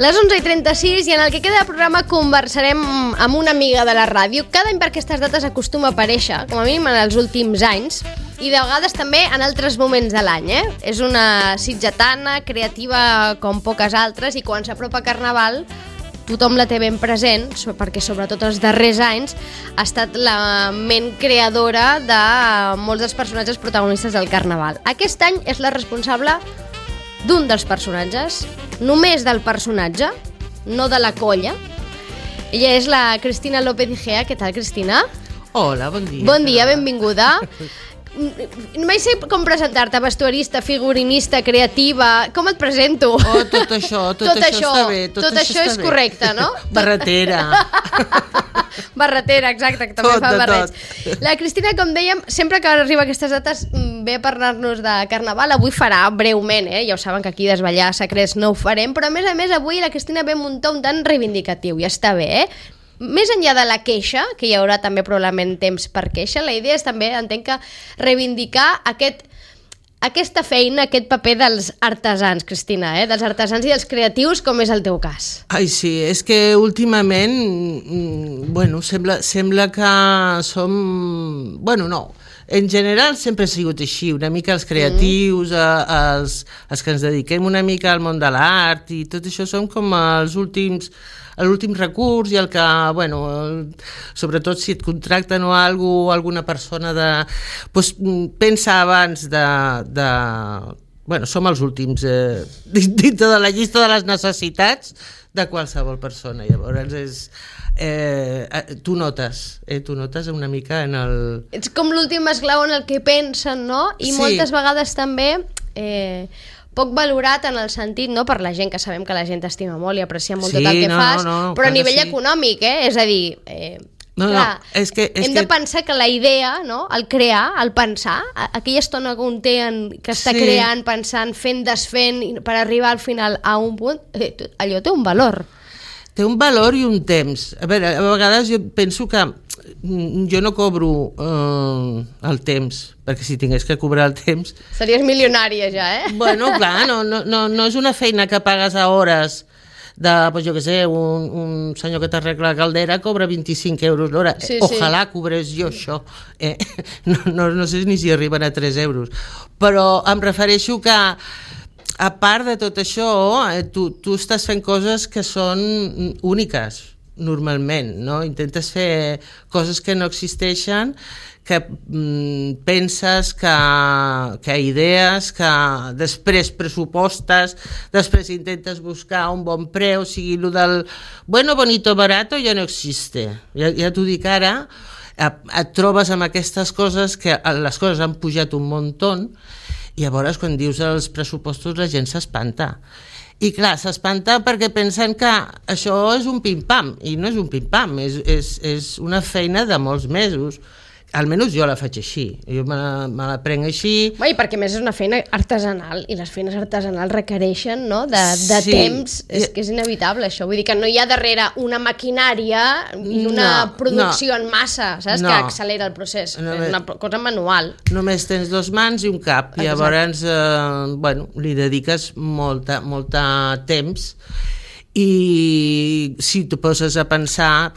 Les 11:36 i en el que queda de programa conversarem amb una amiga de la ràdio. Cada any per aquestes dates acostuma a aparèixer, com a mínim en els últims anys, i de vegades també en altres moments de l'any. És una sitgetana, creativa com poques altres, i quan s'apropa Carnaval tothom la té ben present, perquè sobretot els darrers anys ha estat la ment creadora de molts dels personatges protagonistes del Carnaval. Aquest any és la responsable d'un dels personatges, només del personatge, no de la colla. Ella és la Cristina López Igea. Què tal, Cristina? Hola, bon dia. Bon dia, benvinguda. No mai sé com presentar-te, vestuarista, figurinista, creativa... Com et presento? Oh, tot això està bé. Tot això és correcte, no? Barretera. Barretera, exacte, que també fa barrets. La Cristina, com dèiem, sempre que arriba a aquestes dates ve a parlar-nos de Carnaval. Avui farà breument, ja ho saben que aquí desvetllar secrets no ho farem, però a més avui la Cristina ve a muntar un tant reivindicatiu, i està bé, Més enllà de la queixa, que hi haurà també probablement temps per queixa, la idea és també, entenc que, reivindicar aquesta feina, aquest paper dels artesans, Cristina, dels artesans i dels creatius, com és el teu cas. Ai, sí, és que últimament, sembla que som... no, en general sempre ha sigut així, una mica els creatius, els que ens dediquem una mica al món de l'art i tot això som com l'últim recurs i el que, sobretot si et contracten o alguna persona pensa abans som els últims dintre de la llista de les necessitats de qualsevol persona. Llavors tu notes una mica en el... Ets com l'últim esclau en el que pensen, no? I sí. Moltes vegades també... poc valorat en el sentit, no, per la gent, que sabem que la gent t'estima molt i aprecia molt tot el que fas, però a nivell econòmic, és a dir, hem de pensar que la idea, no, el crear, el pensar, aquella estona que un té que està creant, pensant, fent, desfent, per arribar al final a un punt, allò té un valor. Té un valor i un temps. A veure, a vegades jo penso que jo no cobro el temps, perquè si tingués que cobrar el temps... Series milionària ja, Clar, no és una feina que pagues a hores de, jo què sé, un senyor que t'arregla la caldera cobra 25 euros l'hora. Sí, Ojalà cobrés jo això. No sé ni si arriben a 3 euros. Però em refereixo que a part de tot això, tu estàs fent coses que són úniques, normalment, no? Intentes fer coses que no existeixen, que penses, que idees, que després pressupostes, després intentes buscar un bon preu, o sigui, el del bonito, barato ja no existe. Ja t'ho dic ara, et trobes amb aquestes coses que les coses han pujat un muntó. I llavors, quan dius els pressupostos, la gent s'espanta. I clar, s'espanta perquè pensen que això és un pim-pam, i no és un pim-pam, és una feina de molts mesos. Almenys jo la faig així, jo me la prenc així. I perquè més és una feina artesanal, i les feines artesanals requereixen, no, de temps, és que és inevitable això, vull dir que no hi ha darrere una maquinària i una producció en massa, saps, que accelera el procés, és una cosa manual. Només tens 2 mans i un cap, i llavors li dediques molt temps. I si t'ho poses a pensar,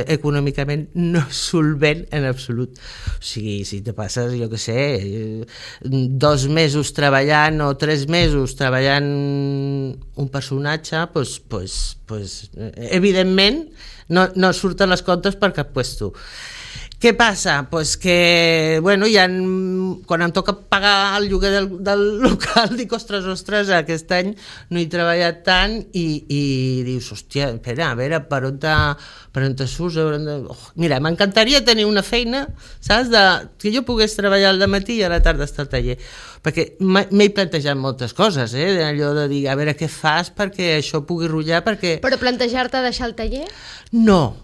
econòmicament no és solvent en absolut. O sigui, si te passes, jo què sé, 2 mesos treballant o 3 mesos treballant un personatge, evidentment no surten les comptes per cap puesto. Què passa? Que, quan em toca pagar el lloguer del local, dic, ostres, aquest any no he treballat tant, i dius, hòstia, espera, a veure, per on te surts? Mira, m'encantaria tenir una feina, saps, que jo pogués treballar al matí i a la tarda estar al taller, perquè m'he plantejat moltes coses, allò de dir, a veure què fas perquè això pugui rotllar, perquè... Però plantejar-te deixar el taller? No,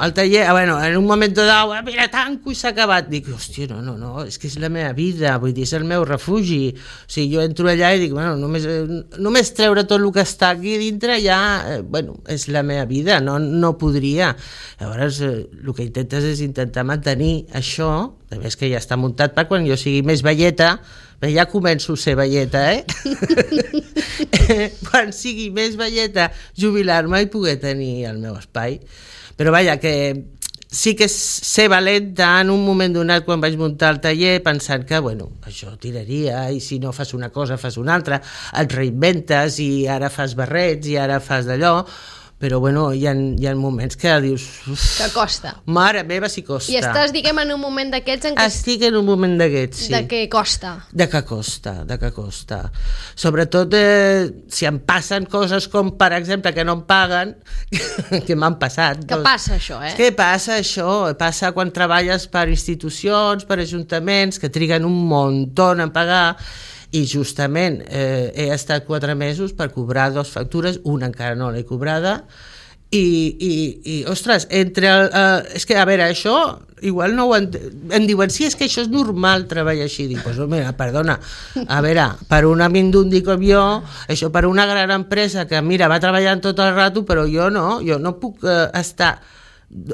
el taller, en un moment dau, mira, tanco i s'ha acabat. Dic, hòstia, no, és que és la meva vida, vull dir, és el meu refugi. O sigui, jo entro allà i dic, només treure tot el que està aquí dintre ja, és la meva vida, no podria. Llavors, el que intentes és intentar mantenir això, a més que ja està muntat per quan jo sigui més velleta, ja començo a ser velleta, quan sigui més velleta, jubilar-me i poder tenir el meu espai. Però vaja, que sí que ser valenta en un moment donat quan vaig muntar el taller pensant que, bueno, això tiraria i si no fas una cosa fas una altra, et reinventes i ara fas barrets i ara fas d'allò, però bueno, hi ha moments que dius... Que costa. Mare meva, si costa. I estàs, diguem, en un moment d'aquests en què... Estic en un moment d'aquests, sí. De què costa. De què costa. Sobretot si em passen coses com, per exemple, que no em paguen, que m'han passat. Que passa això, Què passa això? Passa quan treballes per institucions, per ajuntaments, que triguen un muntó en pagar, i justament he estat 4 mesos per cobrar 2 factures, una encara no l'he cobrada, i ostres, és que, a veure, això igual no ho em diuen, sí, és que això és normal treballar així. Dic, pues, mira, perdona, a veure, per un amindundy com jo, això per una gran empresa que, mira, va treballant tot el rato, però jo no puc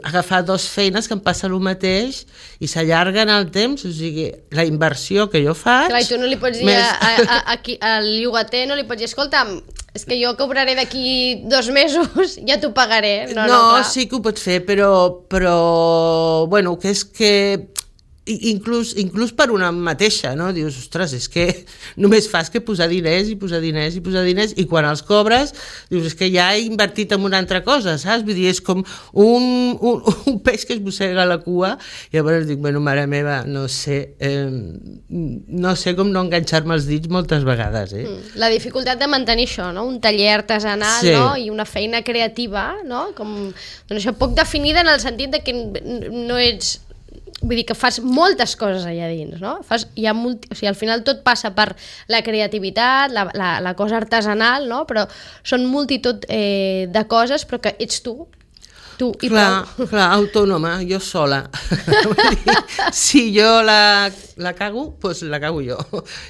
agafar 2 feines que em passa el mateix i s'allarguen el temps, o sigui, la inversió que jo faig... Clar, i tu no li pots dir al llogater, no li pots dir, escolta, és que jo cobraré d'aquí 2 mesos, ja t'ho pagaré. No, sí que ho pots fer, però bueno, que és que inclús per una mateixa, no? Dius, ostres, és que només fas que posar diners i quan els cobres dius, és que ja he invertit en una altra cosa, saps? Vull dir, és com un peix que es mossega la cua i llavors dic, bueno, mare meva, no sé com no enganxar-me els dits moltes vegades, La dificultat de mantenir això, no? Un taller artesanal, sí. No? I una feina creativa, no? Com, doncs això, poc definida en el sentit de que no ets... Vull dir que fas moltes coses allà dins, no? O sigui, al final tot passa per la creativitat, la cosa artesanal, no? Però són multitud de coses, però que ets tu i prou. Clar, autònoma, jo sola. Si jo la cago, doncs la cago jo.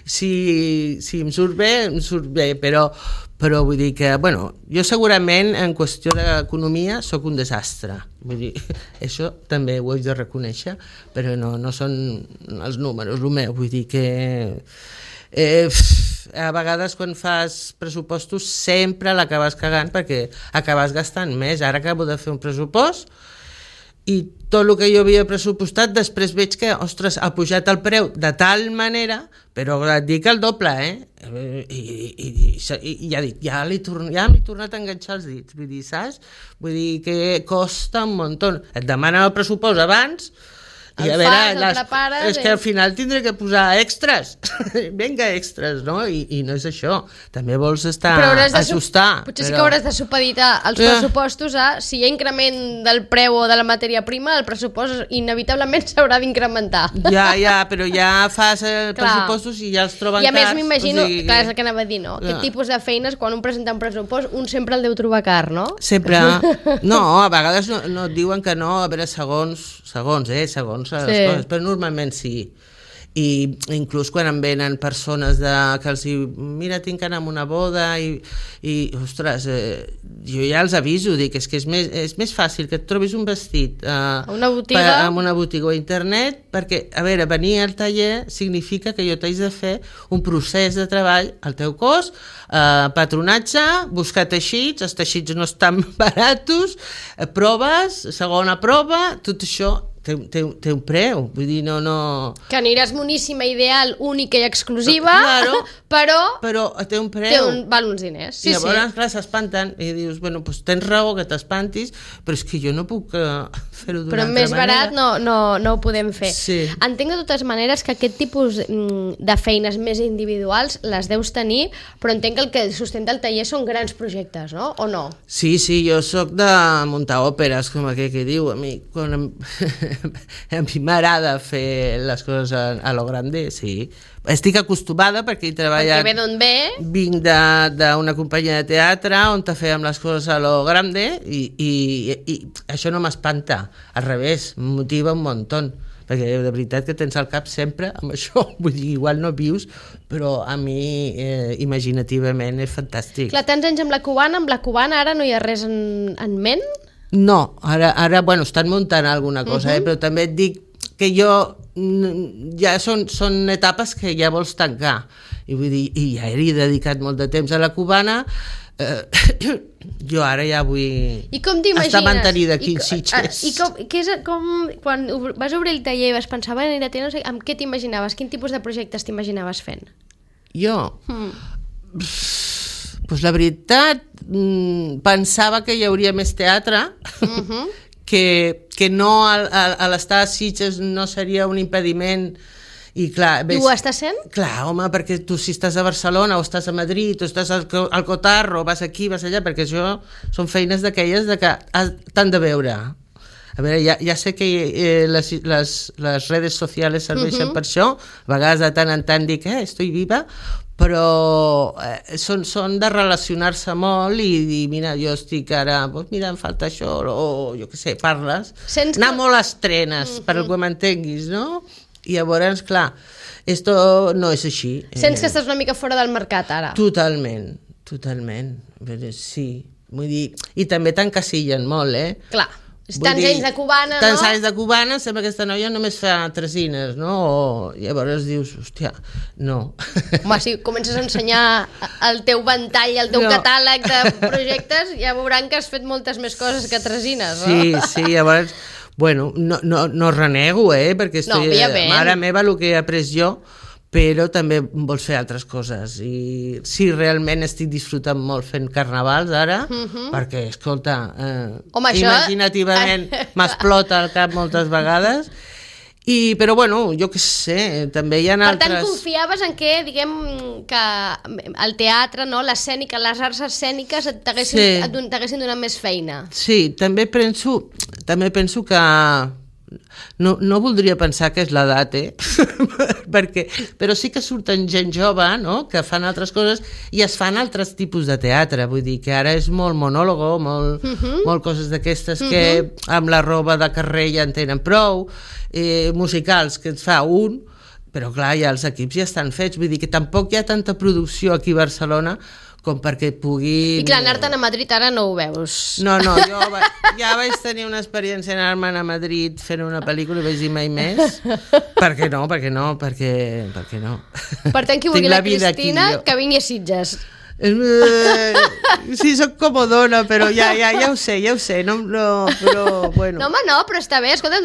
Si em surt bé, però vull dir que, bueno, jo segurament en qüestió d'economia sóc un desastre. Vull dir, això també ho he de reconèixer, però no són els números, el meu. Vull dir que a vegades quan fas pressupostos sempre l'acabes cagant perquè acabes gastant més. Ara acabo de fer un pressupost i tot el que jo havia pressupostat després veig que, ostres, ha pujat el preu de tal manera, però et dic el doble, i ja dic, ja m'he tornat a enganxar els dits, vull dir, saps? Vull dir que costa un muntó. Et demanen el pressupost abans i a veure, és que al final tindré que posar extras. Vinga, extras, no? I no és això. També vols ajustar. Potser sí que hauràs de supeditar els pressupostos a si hi ha increment del preu o de la matèria prima, el pressupost inevitablement s'haurà d'incrementar. Ja, però ja fas pressupostos i ja els troben cars. I a més m'imagino, clar, és el que anava a dir, no? Aquest tipus de feines, quan un presenta un pressupost, un sempre el deu trobar car, no? Sempre. No, a vegades no et diuen que no, a veure, segons les coses, però normalment sí. I inclús quan em venen persones que els diu, mira, tinc que anar a una boda i ostres, jo ja els aviso, dic, és que és més fàcil que et trobis un vestit a una botiga o a internet, perquè, a veure, venir al taller significa que jo t'haig de fer un procés de treball al teu cos, patronatge, buscar teixits, els teixits no estan baratos, proves, segona prova, tot això té un preu, vull dir, no... Que aniràs moníssima, ideal, única i exclusiva, però té un preu. Val uns diners. I llavors, clar, s'espanten i dius, bueno, doncs tens raó que t'espantis, però és que jo no puc fer-ho d'una altra manera. Però més barat no ho podem fer. Sí. Entenc de totes maneres que aquest tipus de feines més individuals les deus tenir, però entenc que el que sustenta el taller són grans projectes, no? O no? Sí, jo sóc de muntar òperes, com aquell que diu, a mi, quan a mi m'agrada fer les coses a lo grande, sí. Estic acostumada perquè he treballat... Perquè ve d'on ve? Vinc d'una companyia de teatre on fèiem les coses a lo grande i això no m'espanta. Al revés, em motiva un muntó. Perquè de veritat que tens al cap sempre amb això. Vull dir, igual no vius, però a mi imaginativament és fantàstic. Clar, tants anys amb la cubana ara no hi ha res en ment? No, ara bueno, estan muntant alguna cosa, però també et dic que jo ja són etapes que ja vols tancar, i vull dir, i ja he dedicat molt de temps a la cubana. Jo ara ja vull estar mantenida aquí en Sitges. I quan vas obrir el taller i vas pensar, amb què t'imaginaves? Quin tipus de projectes t'imaginaves fent? Jo? Pues la veritat, pensava que hi hauria més teatre, que no a l'estar a Sitges no seria un impediment. I clar, I ho està sent? Clar, home, perquè tu si estàs a Barcelona o estàs a Madrid o estàs al Cotarro, vas aquí, vas allà, perquè això són feines d'aquelles que t'han de veure. A veure, ja sé que les redes socials serveixen per això, a vegades de tant en tant dic, estoy viva, però són de relacionar-se molt i dir, mira, jo estic ara, mira, em falta això, o jo què sé, parles. Anar molt a estrenes, per que m'entenguis, no? I llavors, clar, esto no és així. Sents que estàs una mica fora del mercat ara? Totalment. Sí, vull dir, i també t'encasillen molt, Clar, tants anys de cubana, no? Tants anys de cubana, sembla que aquesta noia només fa tresines, no? O llavors dius, hòstia, no. Home, si comences a ensenyar el teu ventall, el teu catàleg de projectes, ja veuran que has fet moltes més coses que tresines, no? Sí, llavors... Bueno, no renego, perquè mare meva el que he après jo, però també vols fer altres coses. I sí, realment estic disfrutant molt fent carnavals ara, perquè, escolta, imaginativament m'explota el cap moltes vegades. Però bueno, jo què sé, també hi ha altres... Per tant, confiaves en que, diguem, que el teatre, no, l'escènica, les arts escèniques t'haguessin donat més feina. Sí, també penso que no voldria pensar que és l'edat, però sí que surten gent jove, no?, que fan altres coses i es fan altres tipus de teatre, vull dir que ara és molt monòlogo, molt coses d'aquestes que amb la roba de carrer ja en tenen prou, musicals que et fa un, però clar, ja els equips ja estan fets, vull dir que tampoc hi ha tanta producció aquí a Barcelona com perquè pugui... I clar, anar-te'n a Madrid ara no ho veus. No, jo ja vaig tenir una experiència anar-me'n a Madrid fent una pel·lícula i vaig dir mai més. Per què no? Per què no? Per tant, qui vulgui la Cristina, que vingui a Sitges. Sí, soc comodona, però ja ho sé, però bueno. No, home, no, però està bé, escolta, un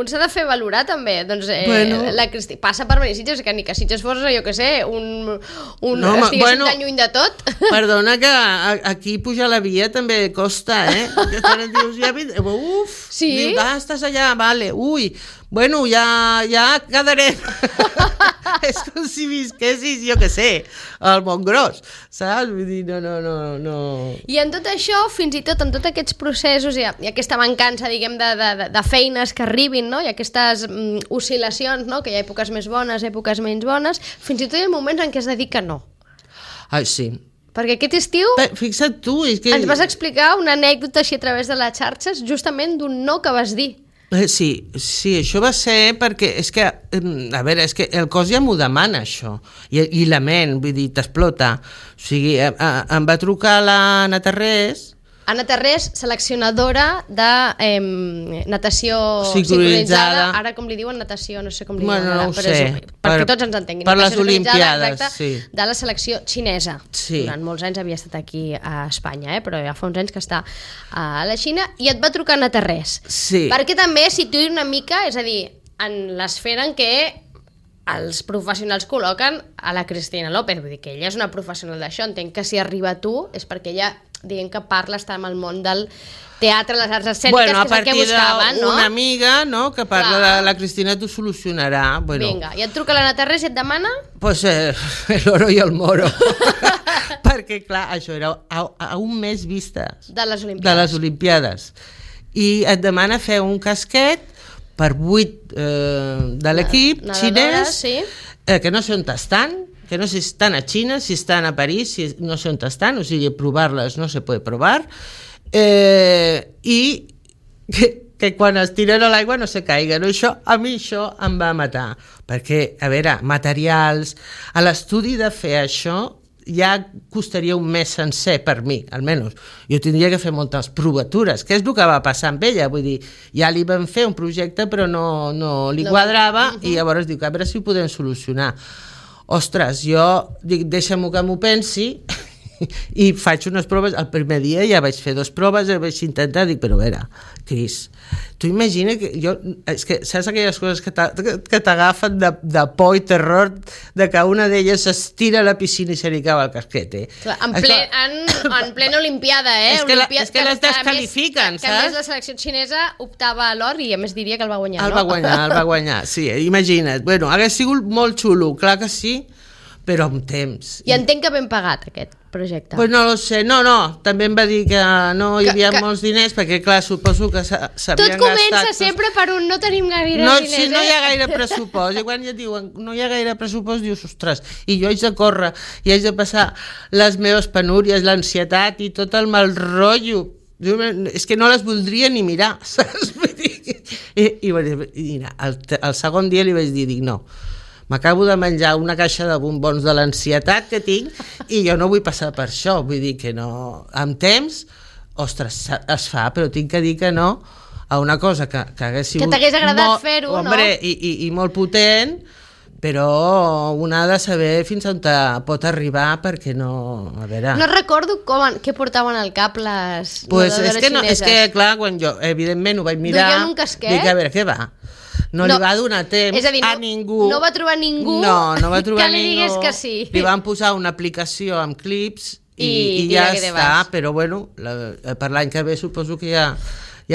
s'ha de fer valorar també, doncs la Cristina passa per venir a Sitges, que ni que Sitges fos, jo què sé, estiguessin tan lluny de tot. Perdona que aquí pujar la via també costa, que quan et dius, sí? Estàs allà, vale, bueno, ja quedarem. És com si visquessis, jo què sé, al Montgròs, saps? Vull dir, no... I en tot això, fins i tot en tots aquests processos i aquesta mancança, diguem, de feines que arribin, no?, i aquestes oscil·lacions, no?, que hi ha èpoques més bones, èpoques menys bones, fins i tot hi ha moments en què has de dir que no. Ai, sí. Perquè aquest estiu... Fixa't tu, és que... Ens vas explicar una anècdota així a través de les xarxes, justament d'un no que vas dir. Sí, això va ser perquè és que, a veure, és que el cos ja m'ho demana, això, i la ment, vull dir, t'explota. O sigui, em va trucar l'Anna Tarrés. Anna Tarrés, seleccionadora de natació sincronitzada, ara com li diuen natació, no sé com li diuen ara, no ho sé, perquè tots ens entenguin. Per les Olimpiades, sí. De la selecció xinesa. Sí. Durant molts anys havia estat aquí a Espanya, però ja fa uns anys que està a la Xina, i et va trucar Anna Tarrés. Sí. Perquè també situï una mica, és a dir, en l'esfera en què els professionals col·loquen a la Cristina López, vull dir que ella és una professional d'això, entenc que si arriba a tu és perquè ella, diguem que parla, està en el món del teatre, les arts escèniques, que és el que buscaven, no? Una amiga, no?, que parla de la Cristina, t'ho solucionarà. Bueno. Vinga, i et truca l'Anna Tarrés i et demana? Pues el oro i el moro. Perquè, clar, això era a un mes vista de les Olimpiades. I et demana fer un casquet per 8 de l'equip xinès, sí. Que no sé on estan, que no sé si estan a Xina, si estan a París, si no sé on estan, o sigui, provar-les no se puede provar, i que quan es tiren a l'aigua no se caiguen. A mi això em va matar, perquè, a veure, materials, a l'estudi de fer això ja costaria un mes sencer per mi, almenys. Jo tindria que fer moltes provatures, que és el que va passar amb ella, vull dir, ja li van fer un projecte però no li quadrava i llavors dic, a veure si ho podem solucionar. Ostres, jo dic, deixa'm-ho que m'ho pensi i faig unes proves, el primer dia ja vaig fer 2 proves, vaig intentar, dic, però a veure, Cris, tu imagina que jo, és que saps aquelles coses que t'agafen de por i terror de que una d'elles s'estira a la piscina i se li cau el casquet, Clar, en plena Olimpiada, és que les descalifiquen, saps? Que a més la selecció xinesa optava a l'or i a més diria que el va guanyar, no? El va guanyar, sí, imagina't. Bueno, hagués sigut molt xulo, clar que sí, però amb temps. I entenc que ben pagat aquest projecte. Pues no lo sé, no, també em va dir que no hi havia molts diners, perquè clar, suposo que s'havien gastat... Tot comença sempre per un no tenim gaire diners, Si no hi ha gaire pressupost, i quan ja diuen no hi ha gaire pressupost, dius, ostres, i jo haig de córrer, i haig de passar les meves penúries, l'ansietat i tot el mal rotllo. És que no les voldria ni mirar, saps? I mira, el segon dia li vaig dir, no, m'acabo de menjar una caixa de bombons de l'ansietat que tinc i jo no vull passar per això, vull dir que no, amb temps, ostres, es fa, però tinc que dir que no a una cosa que hagués sigut... Que t'hagués agradat fer-ho, no? I molt potent, però un ha de saber fins on pot arribar perquè no... A veure... No recordo què portaven al cap les nedadores xineses. És que, clar, quan jo, evidentment, ho vaig mirar... Duien un casquet? Dic, a veure, què va? No li va donar temps a ningú. No va trobar ningú que li digués que sí. Li van posar una aplicació amb clips i ja està, però bueno, per l'any que ve suposo que ja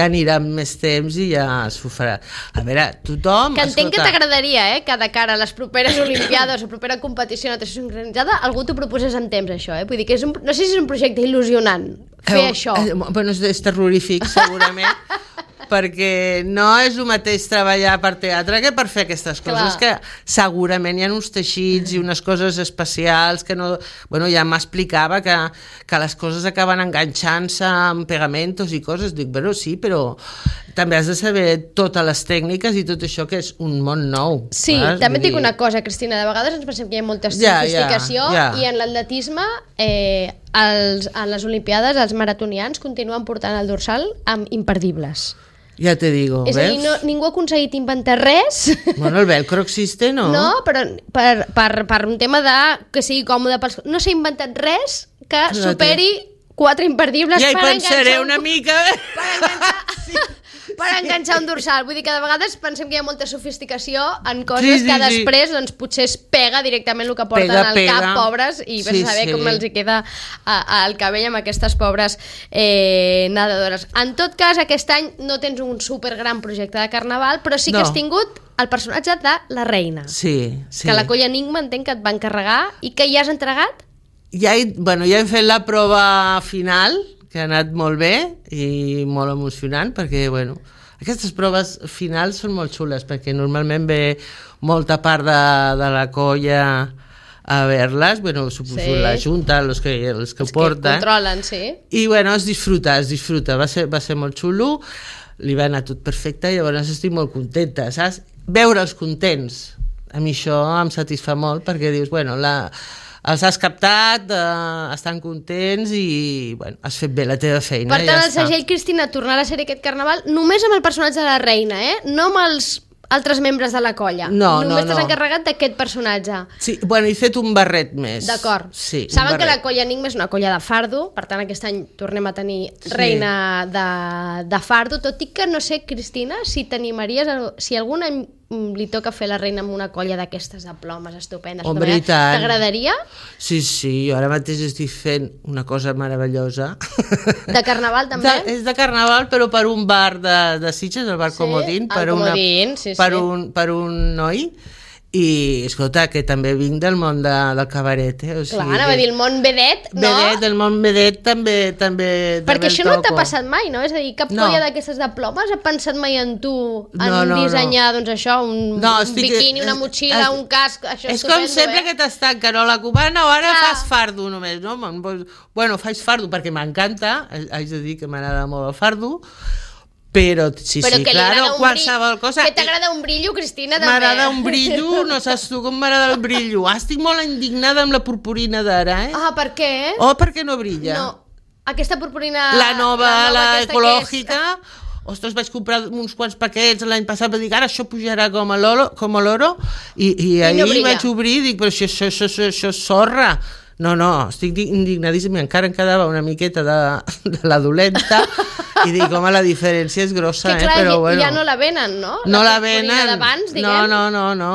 anirà amb més temps i ja s'ho farà. A veure, tothom... Que entenc que t'agradaria, que de cara a les properes Olimpiades o propera competició de natació sincronitzada algú t'ho proposés en temps, això, Vull dir que no sé si és un projecte il·lusionant fer això. Bueno, és terrorífic, segurament. Perquè no és el mateix treballar per teatre que per fer aquestes coses, que segurament hi ha uns teixits i unes coses especials que no... Bueno, ja m'explicava que les coses acaben enganxant-se amb pegamentos i coses. Dic, bueno, sí, però també has de saber totes les tècniques i tot això, que és un món nou. Sí, també et dic una cosa, Cristina, de vegades ens pensem que hi ha molta sofisticació i en l'atletisme... a les Olimpiades els maratonians continuen portant el dorsal amb imperdibles. Ja te digo, és ves? És a dir, ningú ha aconseguit inventar res. Bueno, el velcro existe, no? No, però per un tema de que sigui còmode pels... No s'ha inventat res que superi 4 imperdibles per enganxar... Ja hi pensaré una mica. Per enganxar un dorsal. Vull dir que de vegades pensem que hi ha molta sofisticació en coses que després doncs, potser es pega directament el que porten al cap, pobres, i vés a saber com els hi queda el cabell amb aquestes pobres nedadores. En tot cas, aquest any no tens un supergran projecte de carnaval, però sí que has tingut el personatge de la reina. Sí. Que la Colla Enigma entenc que et va encarregar i que ja has entregat? Ja he fet la prova final, que ha anat molt bé i molt emocionant, perquè, bueno, aquestes proves finals són molt xules, perquè normalment ve molta part de la colla a veure-les, bueno, suposo la junta, els que ho porten. Controlen, sí. I, bueno, es disfruta, va ser molt xulo, li va anar tot perfecte, i llavors estic molt contenta, saps? Veure'ls contents, a mi això em satisfà molt, perquè dius, bueno, els has captat, estan contents i, bueno, has fet bé la teva feina. Per tant, el segell, Cristina, tornarà a ser aquest carnaval només amb el personatge de la reina, no amb els altres membres de la colla. Només t'has encarregat d'aquest personatge. Sí, bueno, he fet un barret més. D'acord. Sí, saben que la Colla Enigma és una colla de fardo, per tant aquest any tornem a tenir reina de fardo, tot i que no sé, Cristina, si t'animaries, si algun any li toca fer la reina amb una colla d'aquestes de plomes estupendes. Hombre, i tant. T'agradaria? Sí, jo ara mateix estic fent una cosa meravellosa. De carnaval també? És de carnaval, però per un bar de Sitges, el bar Comodín, per un noi. I, escolta, que també vinc del món del cabaret, o sigui... Clar, anava a dir, el món vedet, no? El món vedet també perquè això no t'ha passat mai, no? És a dir, cap colla d'aquestes de plomes ha pensat mai en tu, en dissenyar, doncs això, un biquini, una motxilla, un casc, això és com sempre que t'està Carola Cubana o ara fas fardo només, no? Bueno, faig fardo perquè m'encanta, haig de dir que m'agrada molt el fardo, Però sí, Però que li claro, agrada qualsevol cosa. Que t'agrada un brillo, Cristina, també. M'agrada un brillo, no saps tu com m'agrada el brillo. Estic molt indignada amb la purpurina d'ara, Ah, per què? perquè no brilla. No, aquesta purpurina... La nova aquesta ecològica... Ostres, vaig comprar uns quants paquets l'any passat, vaig dir, ara això pujarà com l'oro, i ahir no vaig obrir i dic, però això és sorra. No, estic indignadíssima, encara em quedava una miqueta de la dolenta, i dic, home, la diferència és grossa, que clar, però bueno. ja no la venen, no? No la venen. D'abans, diguem. No.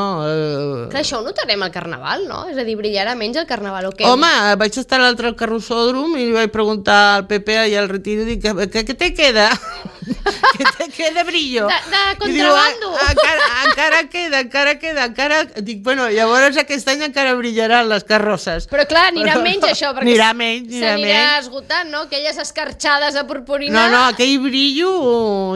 Clar, això ho notarem al Carnaval, no? És a dir, brillarà menys el Carnaval, o què? Home, vaig estar l'altre al carrossòdrom i li vaig preguntar al Pepe i al Retiro, dic, què te queda? Què te queda brillo? De contrabando. Encara queda. Dic, bueno, llavors aquest any encara brillaran les carrosses. Però clar, anirà menys això, perquè anirà menys. S'anirà esgotant, no? Aquelles escarxades de purpurina. No, aquell brillo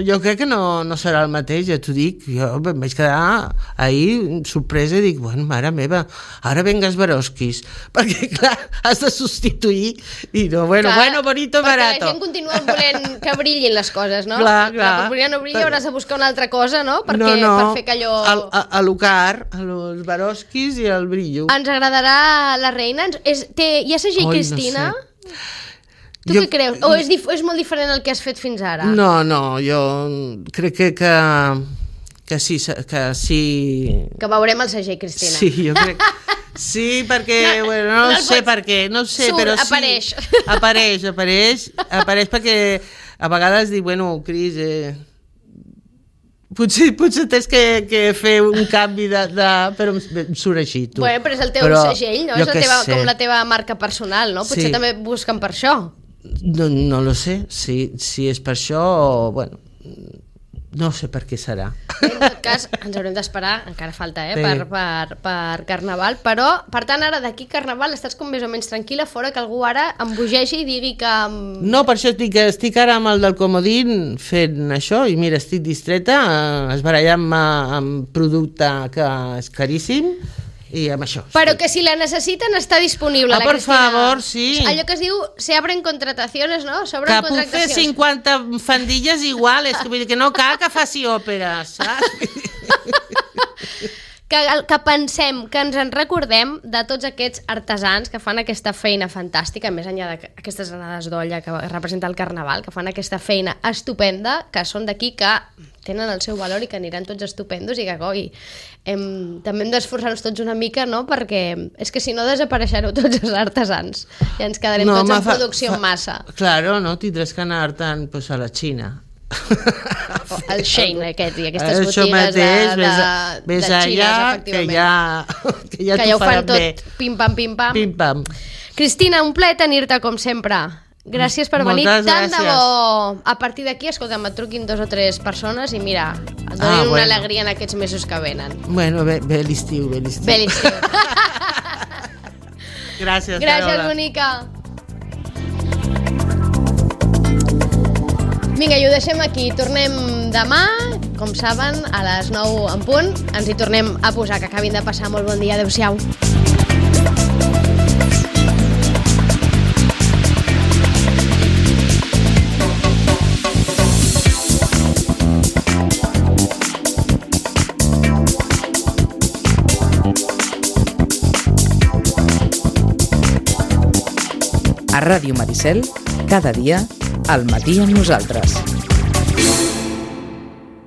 jo crec que no serà el mateix, ja t'ho dic. Jo em vaig quedar ahir sorpresa i dic, bueno, mare meva, ara venga Swarovskis, perquè clar, has de substituir i no, bueno, bonito, barato. Perquè la gent continua volent que brillin les coses, no? Clar. La purpurina no brilla, hauràs de buscar una altra cosa, no? Per fer que allò... A l'Ucar, els Swarovskis i el brillo. Ens agradarà la reina? Hi ha segell Cristina? No sé. Tu què creus? O és molt diferent el que has fet fins ara? No, jo crec que sí. Que veurem el segell, Cristina. Sí, jo crec... Sí, perquè, no sé per què, però sí. Apareix perquè a vegades dic, bueno, Cris, potser tens que fer un canvi però em surt així, tu. Bueno, però és el teu segell, no? És com la teva marca personal, no? Potser també busquen per això. No lo sé, si és per això o, bueno, no sé per què serà. En tot cas, ens haurem d'esperar, encara falta, per Carnaval, però, per tant, ara d'aquí Carnaval estàs com més o menys tranquil·la, fora que algú ara embogegi i digui que... No, per això estic ara amb el del comodín fent això, i mira, estic distreta, esbarallant-me amb producte que és caríssim, i amb això. Però que si la necessiten està disponible, la por Cristina. favor, sí. Allò que es diu, se abren contrataciones, no? Que puc fer 50 fandilles iguales, vull dir que no cal que faci òperes, saps? Que pensem, que ens en recordem de tots aquests artesans que fan aquesta feina fantàstica, més enllà d'aquestes anades d'olla que representa el Carnaval, que fan aquesta feina estupenda, que són d'aquí, que tenen el seu valor i que aniran tots estupendos i que, coi, també hem d'esforçar-nos tots una mica, no? Perquè és que si no desapareixereu tots els artesans i ens quedarem tots en producció en massa. Claro, no? Tindràs que anar-te'n a la Xina. El Shein aquest i aquestes botigues de xines, efectivament, que ja ho fan tot bé. pim-pam. Cristina, un plaer tenir-te com sempre. Gràcies per venir. Tant de bo a partir d'aquí, escolta'm, et truquin 2 o 3 persones i mira, et donin una alegria en aquests mesos que venen. Bueno, bé l'estiu. Gràcies, bonica. Vinga, i ho deixem aquí. Tornem demà, com saben, a les 9 en punt. Ens hi tornem a posar. Que acabin de passar molt bon dia. Adéu-siau. A Ràdio Maricel, cada dia, al matí amb nosaltres.